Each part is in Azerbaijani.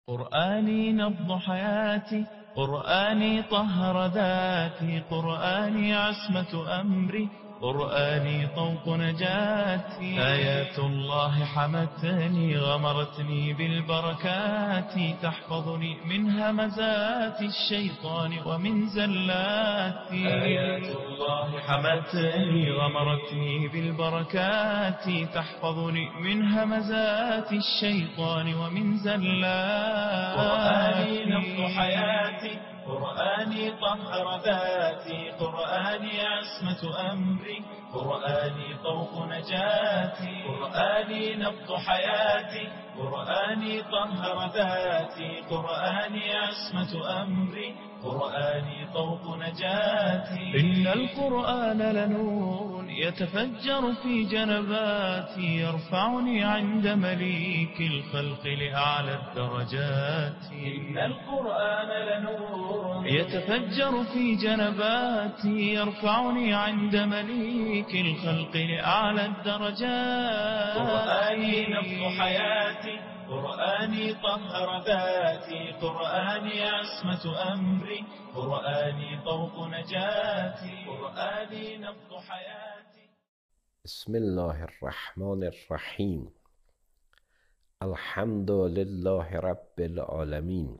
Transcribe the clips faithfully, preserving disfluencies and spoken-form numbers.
قرآني نبض حياتي، قرآني طهر ذاتي، قرآني عصمة أمري، قرآني طوق نجاتي. آيات الله حمتني غمرتني بالبركات، تحفظني من همزات الشيطان ومن زلاتي. آيات الله حمتني غمرتني بالبركات، تحفظني من همزات الشيطان ومن زلاتي. قرآني نبض حياتي، قرآني طهر ذاتي، قرآني عصمة أمري، قرآني طوق نجاتي. قرآني نبض حياتي، قرآني طهر ذاتي، قرآني عصمة أمري، قرآني طوق نجاتي. إن القرآن لنور يتفجر في جنباتي، يرفعني عند مليك الخلق لأعلى الدرجات. إن القرآن لنور يتفجر في جنباتي، يرفعني عند مليك الخلق لأعلى الدرجات. قرآني نبض حياتي، قرآني طهر ذاتي، قرآني عصمة أمري، قرآني طوق نجاتي. قرآني نبض حياتي. بسم الله الرحمن الرحیم. الحمد لله رب العالمین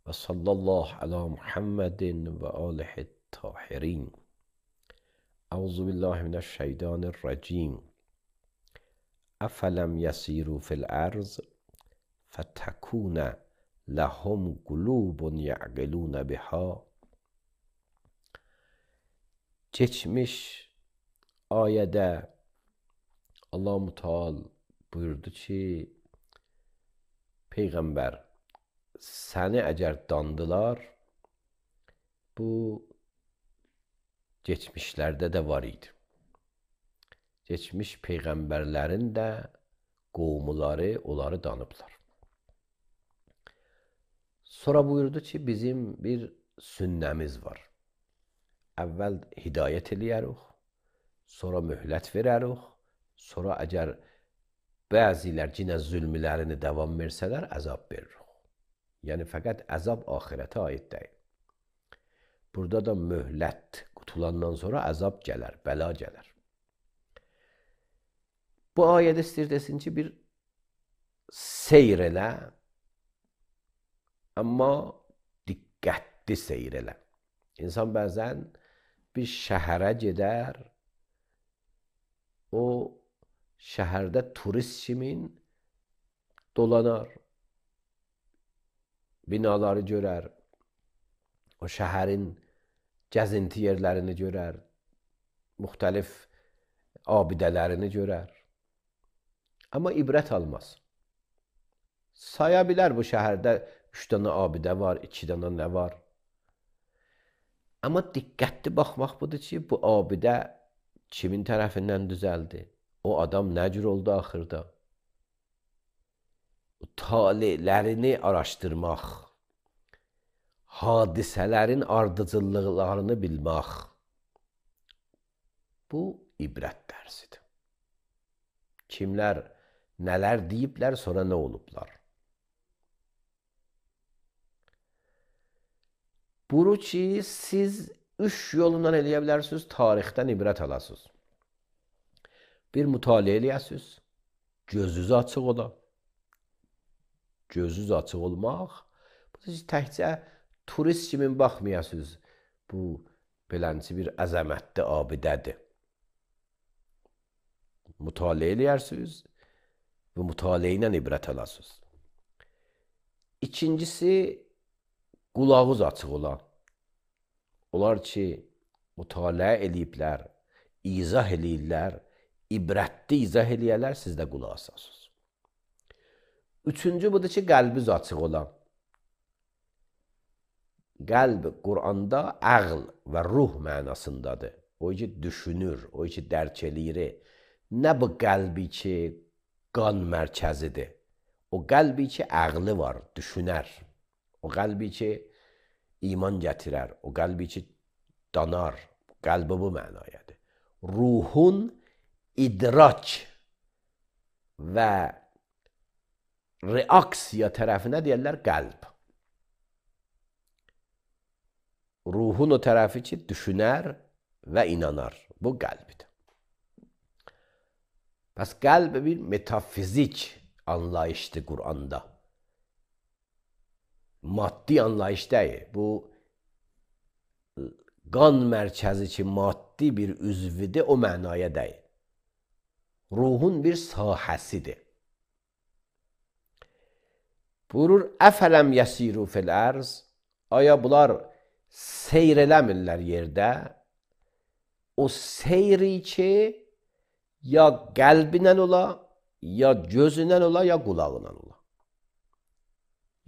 و صلی الله علی محمد و آله الطاهرین. اعوذ بالله من الشیطان الرجیم. افلم یسیروا فی الارض فتکون لهم قلوب یعقلون بها. Geçmiş ayədə Allah-u Teala buyurdu ki, Peyğəmbər, səni əgər dandılar, bu geçmişlərdə də var idi. Geçmiş peyğəmbərlərin də qovmuları onları danıblar. Sonra buyurdu ki, bizim bir sünnəmiz var. Əvvəl hidayət eləyərik, sonra möhlət verərik, sonra əgər bəzilər yenə zülmlərini davam versələr, əzab veririk. Yəni, fəqət əzab axirətə aid deyil. Burada da möhlət qutulandan sonra əzab gələr, bəla gələr. Bu ayədə istəyir desin ki, bir seyr elə, amma diqqətli seyr elə. İnsan bəzən bir şəhərə gedər, o şəhərdə turist kimin dolanar, binaları görər, o şəhərin gəzinti yerlərini görər, müxtəlif abidələrini görər. Amma ibrət almaz. Saya bilər bu şəhərdə üç dənə abidə var, iki dənə nə var. Amma diqqətli baxmaq budur ki, bu abidə kimin tərəfindən düzəldi? O adam nə cür oldu axırda? Talelərini araşdırmaq, hadisələrin ardıcıllıqlarını bilmək, bu ibrət dərsidir. Kimlər nələr deyiblər, sonra nə olublar? Bunu ki, siz üç yolundan eləyə bilərsiniz, tarixdən ibrət alasınız. Bir mütaliə eləyəsiniz, gözünüz açıq ola. Gözünüz açıq olmaq, bu təkcə turist kimi baxmayasınız, bu belənci bir əzəmətli abidədir. Mütaliə eləyərsiniz və mütaliə ilə ibrət alasınız. İkincisi, qulağınız açıq ola. Onlar ki, mütaliə eləyiblər, izah eləyirlər, ibrətli izah eləyərlər, siz də qulaq asasınız. Üçüncü budur ki, qəlbiniz açıq ola. Qəlb Quranda əql və ruh mənasındadır. O ki, düşünür, o ki, dərk eləyir. Nə bu qəlbi ki, qan mərkəzidir. O qəlbi ki, əqli var, düşünər. O qəlbi ki, iman gətirər. O qəlbi ki, danar. Qəlbi bu mənayədir. Ruhun idrak və reaksiya tərəfinə deyirlər qəlb. Ruhun o tərəfi ki, düşünər və inanar. Bu qəlbdir. Pəs qəlb bir metafizik anlayışdır Quranda. Maddi anlayış deyil. Bu qan mərkəzi ki, maddi bir üzvidir, o mənaya deyil. Ruhun bir sahəsidir. Buyurur, əfələm yəsiru fil ərz, aya bunlar seyr eləmirlər yerdə, o seyri ki, ya qəlbinə ola, ya gözünə ola, ya qulağına ola.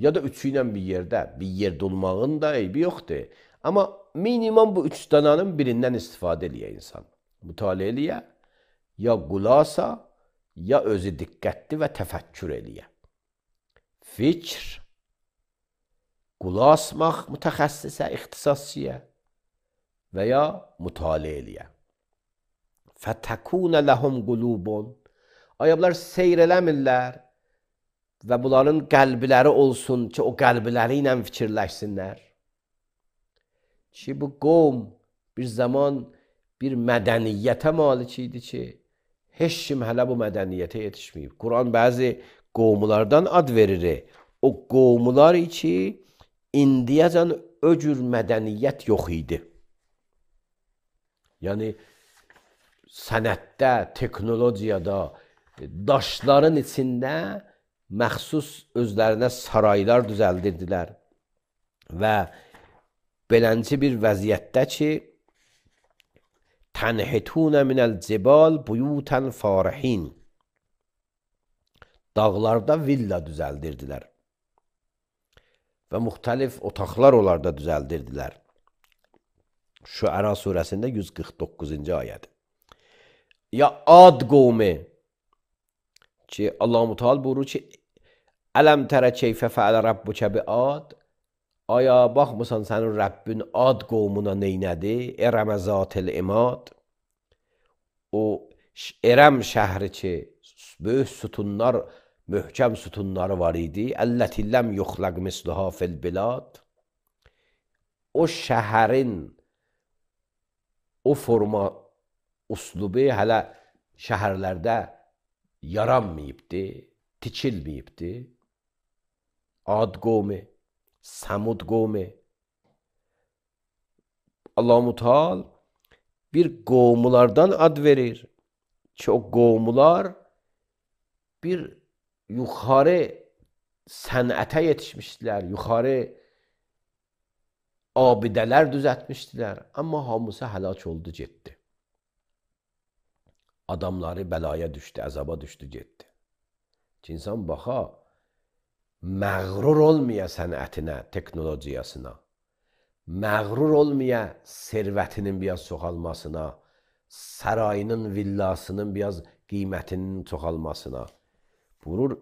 Ya da üçü ilə bir yerdə, bir yerdə olmağın da eybi yoxdur. Amma minimum bu üç dananın birindən istifadə eləyə insan. Mütaliə eləyə, ya qulasa, ya özü diqqətli və təfəkkür eləyə. Fikr, qulasmaq mütəxəssisə, ixtisasçıya və ya mütaliə eləyə. Fətəkunə ləhum qulubun. Aya bunlar seyr eləmirlər və bunların qəlbləri olsun ki, o qəlbləri ilə fikirləşsinlər. Ki, bu qovm bir zaman bir mədəniyyətə malik idi ki, heç kim hələ bu mədəniyyətə yetişməyib. Quran bəzi qovmlardan ad verir. O qovmlar ki, indiyəcən o cür mədəniyyət yox idi. Yəni, sənətdə, teknologiyada, daşların içində məxsus özlərinə saraylar düzəldirdilər və belənci bir vəziyyətdə ki, tənhitunə minəl cibal buyutən farihin, dağlarda villa düzəldirdilər və müxtəlif otaqlar onlarda düzəldirdilər. Şüəra surəsində yüz qırx doqquzuncu ayədir. Ya Ad qovmi ki, Allah-u Teala buyurur ki, ələm tərə keyfə fəələ rabbuka bi Ad, aya baxmısan sənin Rəbbin Ad qovmuna neynədi? Ərəmə zatil imad. O Ərəm şəhri ki, böyük sütunlar, möhkəm sütunları var idi. Əlləti ləm yuxləq misluha fil bilad. O şəhərin o forma, uslubu hələ şəhərlərdə yaranmayıbdı, tikilməyibdi. Ad qovmi, Samud qovmi. Allah-u Teala bir qovmulardan ad verir ki, o qovmular bir yuxarı sənətə yetişmişdilər, yuxarı abidələr düzətmişdilər. Amma hamısı həlak oldu, getdi. Adamları bəlaya düşdü, əzaba düşdü, getdi. Ki, insan baxa, məğrur olmaya sənətinə, teknologiyasına, məğrur olmaya servətinin biraz çoxalmasına, sarayının, villasının biraz qiymətinin çoxalmasına. Buyurur,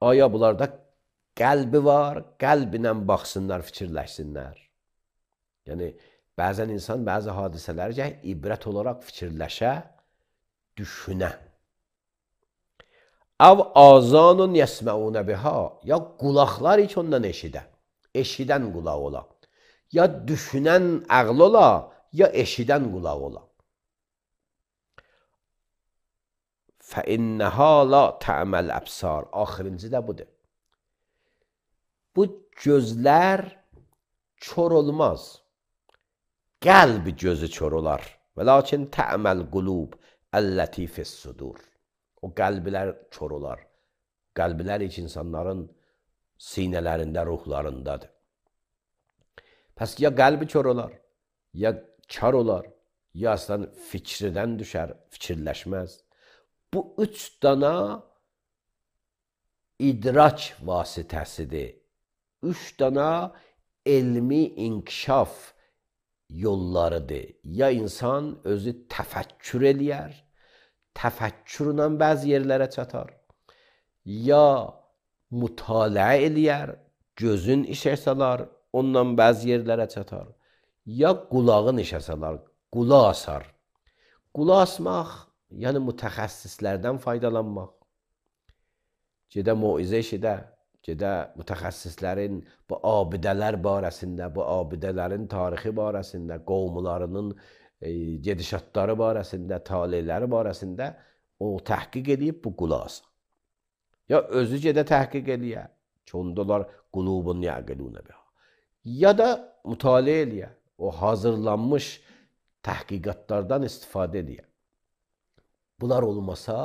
aya bunlarda qəlbi var, qəlbinə baxsınlar, fikirləşsinlər. Yəni, bəzən insan bəzi hadisələrcə ibrət olaraq fikirləşə, düşünə. Av azanun yəsməunə biha, ya qulaqlar heç ondan eşidə, eşidən qulaq ola. Ya düşünən əql ola, ya eşidən qulaq ola. Fəinnəhə la tə'məl əbsar. Axırıncı da budur. Bu gözlər kör olmaz. Qəlb gözü kör olar. Və lakin tə'məl qulub əlləti fissudur. O qəlblər kör olar. Qəlblər heç insanların sinələrində, ruhlarındadır. Pəs ya qəlbi kör olar, ya kar olar, ya aslan fikridən düşər, fikirləşməz. Bu üç dana idrak vasitəsidir. Üç dana elmi inkişaf yollarıdır. Ya insan özü təfəkkür eləyər, təfəkkürlə bəzi yerlərə çatar. Ya mütaliə eləyər, gözün işə salar, ondan bəzi yerlərə çatar. Ya qulağın işə salar, qulaq asar. Qulaq asmaq, yəni mütəxəssislərdən faydalanmaq. gedə moizə eşidə, gedə mütəxəssislərin bu abidələr barəsində, bu abidələrin tarixi barəsində, qovmularının e, gedişatları barəsində, taleləri barəsində o təhqiq edib bu qulaq. Ya özü gedə təhqiq eləyə, ki ondalar qulubun yəqilunə biha. Ya da mütaliə eləyə, o hazırlanmış təhqiqatlardan istifadə eləyə. Bunlar olmasa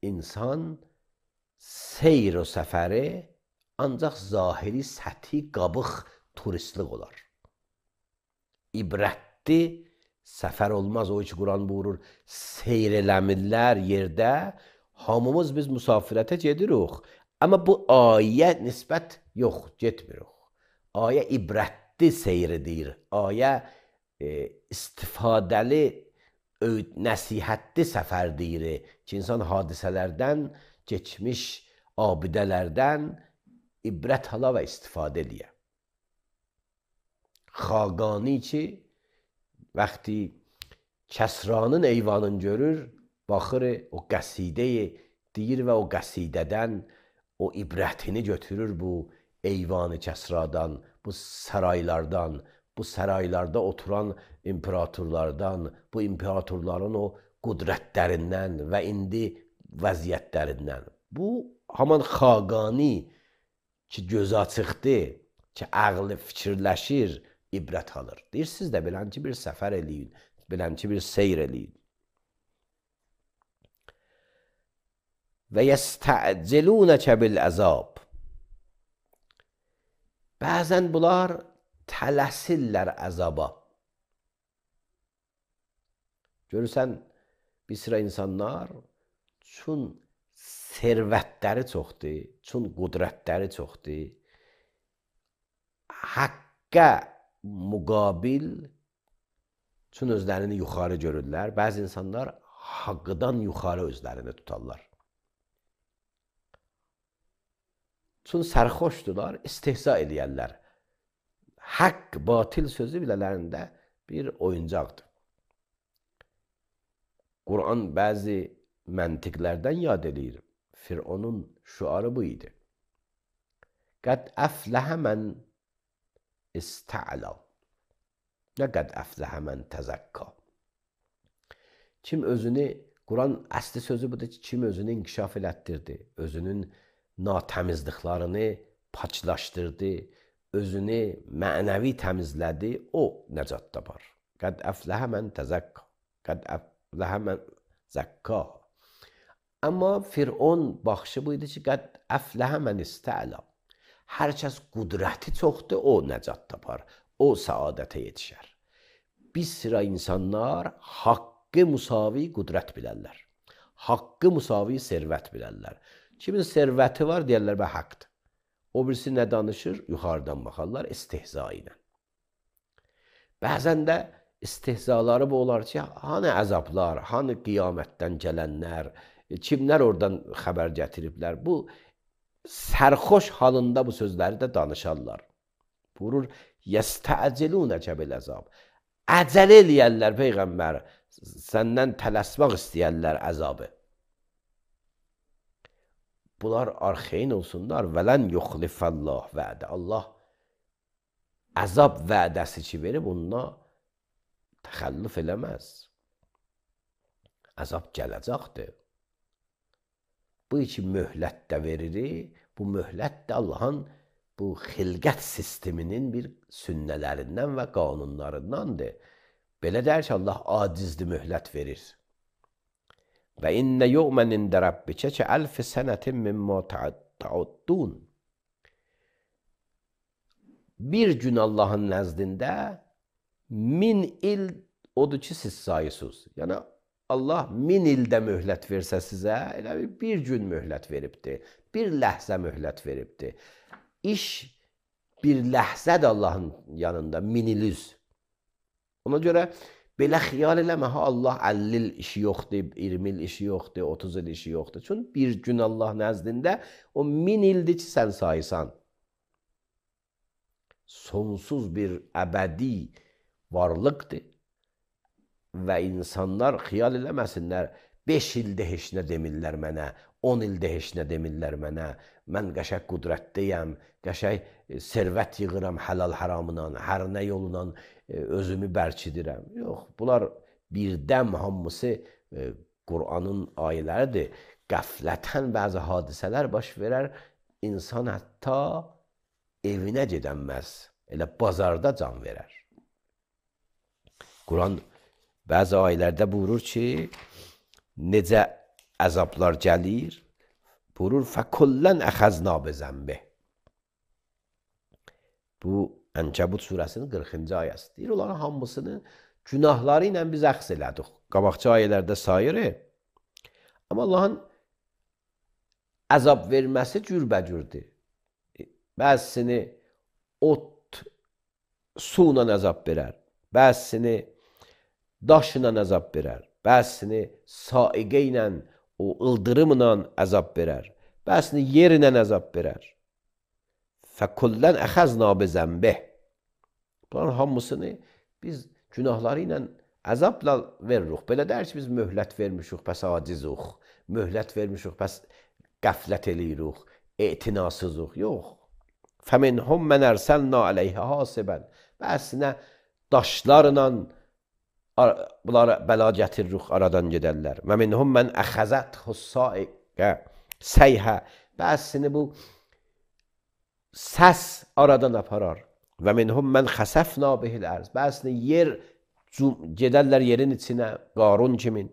insan seyr o səfəri ancaq zahiri səthi qabıq turistlik olar. İbrətli səfər olmaz. O ki Quran buyurur, seyr eləmirlər yerdə, hamımız biz müsafirətə gedirik. Amma bu ayə nisbət yox, getmirik. Ayə ibrətli seyr edir. Ayə e, istifadəli nəsihətli səfər deyir ki, insan hadisələrdən, keçmiş abidələrdən ibrət hala və istifadə edir. Xaqani ki, vəqti Kəsranın eyvanını görür, baxır, o qəsidəyi deyir və o qəsidədən o ibrətini götürür bu eyvanı Kəsradan, bu saraylardan, bu saraylarda oturan imperatorlardan, bu imperatorların o qudrətlərindən və indi vəziyyətlərindən. Bu, haman Xaqani ki, göz açıqdır, ki, ağlı fikirləşir, ibrət alır. Deyirsiniz də, bilən ki, bir səfər eləyin, bilən ki, bir seyr eləyin. Və yəstəcilunəkə bil-əzab. Bəzən bunlar tələsirlər əzaba. Görürsən, bir sıra insanlar çün servətləri çoxdur, çün qudrətləri çoxdur, haqqa müqabil çün özlərini yuxarı görürlər. Bəzi insanlar haqqdan yuxarı özlərini tutarlar. Çün sərxoşdular, istehza eləyərlər. Haqq, batil sözü bilələrində bir oyuncaqdır. Quran bəzi məntiqlərdən yad edir. Fironun şüarı bu idi. Qəd əfləhə mən istə'la. Nə qəd əfləhə mən təzəkka. Kim özünü, Quran əsli sözü budur ki, kim özünü inkişaf elətdirdi, özünün natəmizliklərini paçlaşdırdı, özünü mənəvi təmizlədi, o nəcat tapar. Qəd əfləhə mən təzəkka. Qəd əfləhə mən zəkka. Amma Firon baxışı buydu ki, qəd əfləhə mən istə'la. Hər kəs qudrəti çoxdur, o nəcat tapar, o səadətə yetişər. Bir sıra insanlar haqqı müsavi qudrət bilərlər. Haqqı müsavi servət bilərlər. Kimin servəti var, deyərlər bə haqqdır. O birisi nə danışır? Yuxarıdan baxarlar, istehza ilə. Bəzən də istehzaları bu olar ki, hanı əzablar, hanı qiyamətdən gələnlər, kimlər oradan xəbər gətiriblər? Bu, sərxoş halında bu sözləri də danışarlar. Buyurur, yəstəcilunəkə bil-əzab. Əcəl eləyərlər, Peyğəmbər, səndən tələsmək istəyərlər əzabı. Bunlar arxeyin olsunlar. Vələn yuxlifəllah vədə. Allah əzab vədəsi ki verib, onunla təxəllüf eləməz. Əzab gələcəkdir. Bu iki möhlət də verir. Bu möhlət də Allahın bu xilqət sisteminin bir sünnələrindən və qanunlarındandır. Belə deyər ki, Allah acizli möhlət verir. Və innə yu'mən ində Rabbikə ki əlfi sənətin mimmə ta'uddun. Bir gün Allahın nəzdində min il odur ki, siz sayısız. Yəni, Allah min ildə möhlət versə sizə, elə bir gün möhlət veribdir. Bir ləhzə möhlət veribdir. İş bir ləhzədir Allahın yanında, min il üz. Ona görə belə xiyal eləmə, ha Allah əlli il işi yoxdur, iyirmi il işi yoxdur, otuz il işi yoxdur. Çünki bir gün Allah nəzdində o min ildir ki, sən sayısan. Sonsuz bir əbədi varlıqdır və insanlar xiyal eləməsinlər, beş ildə heç nə demirlər mənə, on ildə heç nə demirlər mənə, mən qəşəng qudrətdəyəm, qəşəng servət yığıram həlal haramından, hər nə yolla özümü bərkidirəm. Yox, bunlar birdəm hamısı Qur'anın ayələridir. Qəflətən bəzi hadisələr baş verər, insan hətta evinə gedənməz, elə bazarda can verər. Quran bəzi ayələrdə buyurur ki, necə əzablar gəlir, buyurur, fəkullən əxəzna bezənbih. Bu, Ənkəbut surəsinin qırxıncı ayəsi. Deyir, onların hamısını günahları ilə biz əxz elədik. Qabaqçı ayələrdə sayırı. Amma Allahın əzab verməsi cürbəcürdür. Bəzisini ot, su ilə əzab verər. Bəzisini daş ilə əzab verər. Bəzisini saiqə ilə, o ıldırımla əzab verər. Bəzisini yer ilə əzab verər. Fəkullən əxəzna bezənbih. Bunların hamısını biz günahları ilə əzabla veririk. Belə deyir ki, biz möhlət vermişik, bəs acizuq. Möhlət vermişik, bəs qəflət eləyirik, etinasızıq. Yox. Fəminhum mən ərsəlna əleyhə hasibən. Bəsinə daşlarla bunlara bəla gətiririk, aradan gedərlər. Və minhum mən əxəzət hussaiqə səyhə. Bəsini bu səs aradan aparar. Və minhum mən xəsəfna bihil ərz. Bəsini yer gedərlər yerin içinə, Qarun kimin.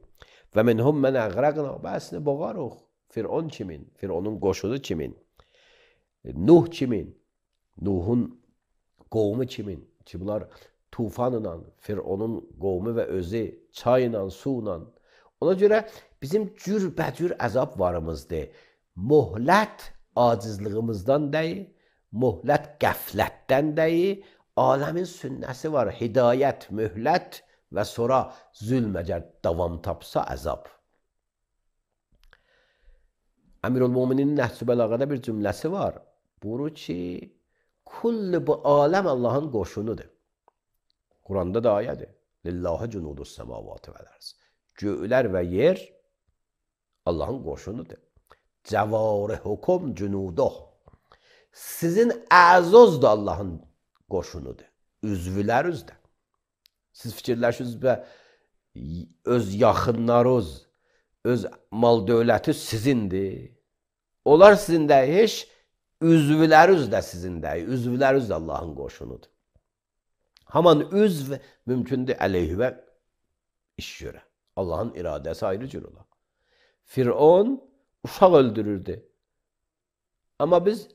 Və minhum mən əqrəqna. Bəsini boğarıq. Fir'on kimin, Fir'onun qoşunu kimin. Nuh kimin, Nuhun qovmu kimin. Ki bunlar tufanla, Fir'onun qovmu və özü, çayla, suyla. Ona görə bizim cürbəcür əzab varımızdır. Möhlət acizlığımızdan deyil, möhlət qəflətdən deyil, aləmin sünnəsi var, hidayət, möhlət və sonra zülm əgər davam tapsa əzab. Əmirul-Muminin Nəhcü Bəlağədə bir cümləsi var. Buyurur ki, kulli bu aləm Allahın qoşunudur. Quranda da ayədir. Lillahi cunudus səmavatı vəl-ərz. Göylər və yer Allahın qoşunudur. Cəvarihukum cunuduh. Sizin əzoz da Allahın qoşunudur. Üzvüləriniz də. Siz fikirləşiniz və öz yaxınlarınız, öz mal dövləti sizindir. Onlar sizin də heç, üzvüləriniz də sizin də, üzvüləriniz də Allahın qoşunudur. Haman üzv mümkündür əleyhivə iş görə. Allahın iradəsi ayrı cür olar. Fir'on uşaq öldürürdü. Amma biz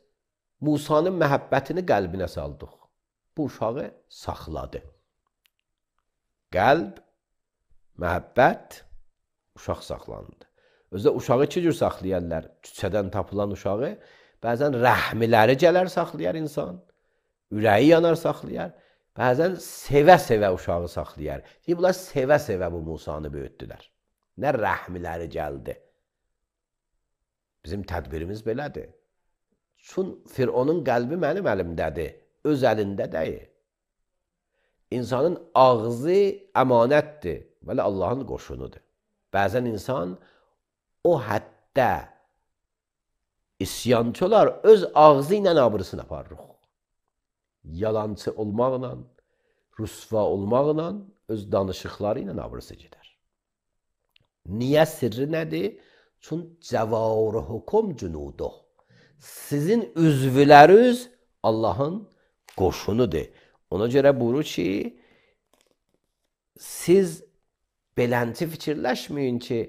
Musanın məhəbbətini qəlbinə saldıq. Bu uşağı saxladı. Qəlb, məhəbbət, uşaq saxlandı. Özdə uşağı iki cür saxlayarlar. Küçədən tapılan uşağı, bəzən rəhmiləri gələr saxlayar insan, ürəyi yanar saxlayar, bəzən sevə-sevə uşağı saxlayar. Deyir, bunlar sevə-sevə bu Musanı böyütdülər. Nə rəhmiləri gəldi. Bizim tədbirimiz belədir. Çün Fir'onun qəlbi mənim əlimdədir, öz əlində deyil. İnsanın ağzı əmanətdir, vəli Allahın qoşunudur. Bəzən insan o həddə isyancılar öz ağzı ilə abırısını aparırıq. Yalancı olmaqla, rüsva olmaqla öz danışıqları ilə abırısı gedər. Niyə sirri nədir? Çün cəvarihukum cunuduh. Sizin üzvüləriniz Allahın qoşunudur. Ona görə buyurur ki, siz belənti fikirləşməyin ki,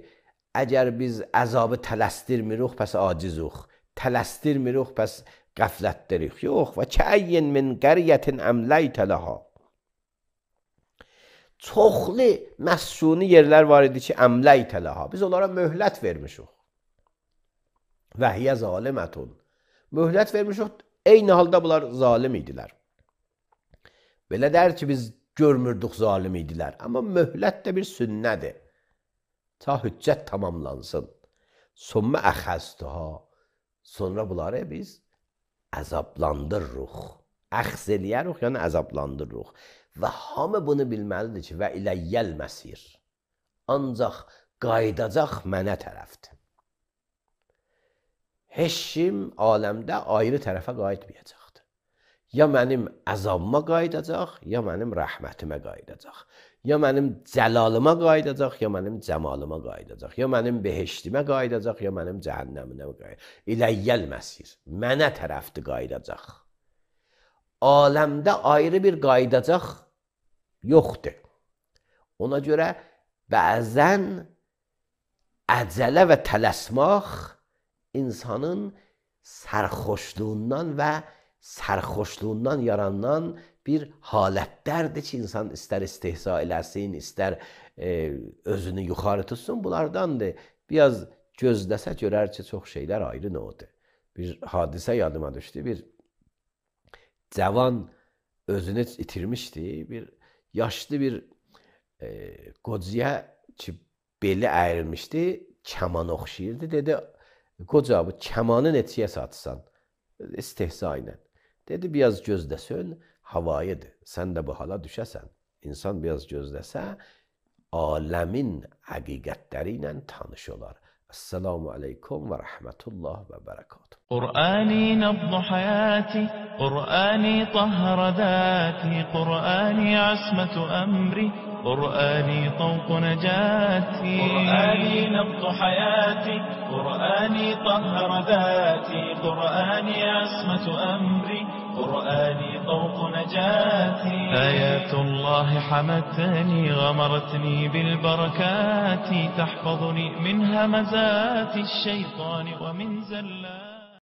əgər biz əzabı tələsdirmirik, pəs acizuq. Tələsdirmirik, pəs qəflətdirik. Yox, və kəyin min qəriyyətin əmləytə ləha. Çoxlu məsuni yerlər var idi ki, əmləytə ləha. Biz onlara möhlət vermişik. Və hiyə zalimətun. Möhlət vermişik, eyni halda bunlar zalim idilər. Belə dər ki, biz görmürdük zalim idilər. Amma möhlət də bir sünnədir. Ta hüccət tamamlansın. Sonra əxəzduha. Sonra bunları biz əzablandırırıq. Əxz eləyərik, yəni əzablandırırıq. Və hamı bunu bilməlidir ki, və iləyyəl məsir. Ancaq qaydacaq mənə tərəfdir. heç kim aləmdə ayrı tərəfə qayıtmayacaqdır. Ya mənim əzabıma qayıdacaq, ya mənim rəhmətimə qayıdacaq. Ya mənim cəlalıma qayıdacaq, ya mənim cəmalıma qayıdacaq. Ya mənim behiştimə qayıdacaq, ya mənim cəhənnəminə qayıdacaq. İləyyəl məsir. Mənə tərəfdir qayıdacaq. Aləmdə ayrı bir qayıdacaq yoxdur. Ona görə bəzən əcələ və tələsmaq insanın sərxoşluğundan və sərxoşluğundan yaranan bir halətlərdir ki, insan istər istehza eləsin, istər e, özünü yuxarı tutsun, bunlardandır. Biraz gözləsə görər ki, çox şeylər ayrı nədir. Bir hadisə yadıma düşdü, bir cavan özünü itirmişdi, bir yaşlı bir e, qocaya ki, beli əyrilmişdi, kəman oxşayırdı, dedi, qoca bu kəmanı neçəyə satsan? İstehza ilə. Dedi, biraz gözləsən, havayıdır. Sən də bu hala düşəsən. İnsan biraz gözləsə, aləmin həqiqətləri ilə tanış olar. Esselamu aleykum və rəhmətullah və bərəkatuhu. قرآني نبض حياتي قرآني طهر ذاتي قرآني عصمة أمري قرآني طوق نجاتي قرآني نبض حياتي قرآني طهر ذاتي قرآني عصمة أمري قرآني طوق نجاتي آيات الله حمتني غمرتني بالبركات تحفظني من همزات الشيطان ومن زلات